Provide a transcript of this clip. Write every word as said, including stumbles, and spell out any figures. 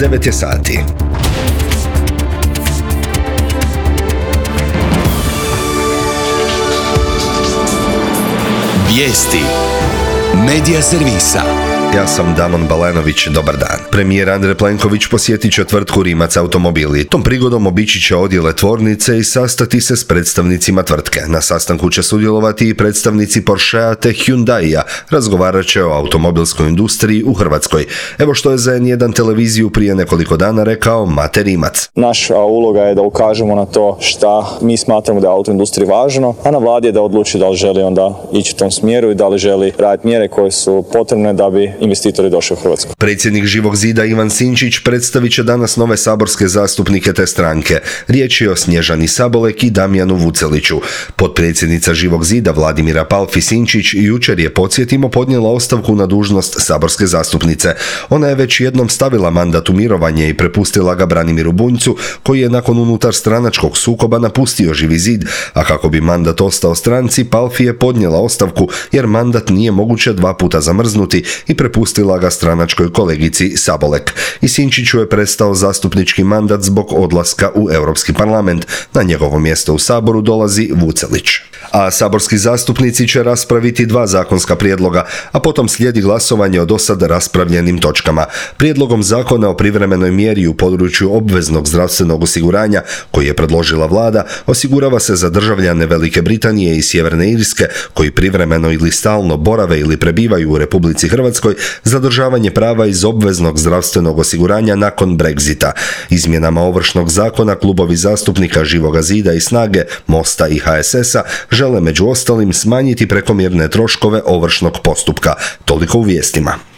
devet je sati. Vijesti Medija servisa. Ja sam Damon Balenović, dobar dan. Premijer Andrej Plenković posjetit će tvrtku Rimac automobili. Tom prigodom obići će odjele tvornice i sastati se s predstavnicima tvrtke. Na sastanku će sudjelovati i predstavnici Porschea te Hyundaia. Razgovarat će o automobilskoj industriji u Hrvatskoj. Evo što je za en jedan televiziju prije nekoliko dana rekao Mate Rimac. Naša uloga je da ukažemo na to šta mi smatramo da je autoindustriji važno, a na vladi je da odluči da li želi onda ići u tom smjeru i da li želi raditi mjere koje su potrebne da bi investitori došli u Hrvatsku. Predsjednik Živog zida Ivan Sinčić predstavit će danas nove saborske zastupnike te stranke. Riječ je o Snježani Sabolek i Damjanu Vuceliću. Potpredsjednica Živog zida Vladimira Palfi Sinčić jučer je, podsjetimo, podnijela ostavku na dužnost saborske zastupnice. Ona je već jednom stavila mandat u mirovanje i prepustila ga Branimiru Bunjcu, koji je nakon unutar stranačkog sukoba napustio Živi zid, a kako bi mandat ostao stranci, Palfi je podnijela ostavku jer mandat nije moguće dva puta zamrznuti i prepustila ga stranačkoj kolegici Sabolek. I Sinčiću je prestao zastupnički mandat zbog odlaska u Europski parlament. Na njegovo mjesto u Saboru dolazi Vucelić. A saborski zastupnici će raspraviti dva zakonska prijedloga, a potom slijedi glasovanje o dosad raspravljenim točkama. Prijedlogom zakona o privremenoj mjeri u području obveznog zdravstvenog osiguranja, koji je predložila vlada, osigurava se za državljane Velike Britanije i Sjeverne Irske, koji privremeno ili stalno borave ili prebivaju u Republici Hrvatskoj, zadržavanje prava iz obveznog zdravstvenog osiguranja nakon Brexita. Izmjenama Ovršnog zakona klubovi zastupnika Živoga zida i Snage, Mosta i ha es es a žele među ostalim smanjiti prekomjerne troškove ovršnog postupka. Toliko u vijestima.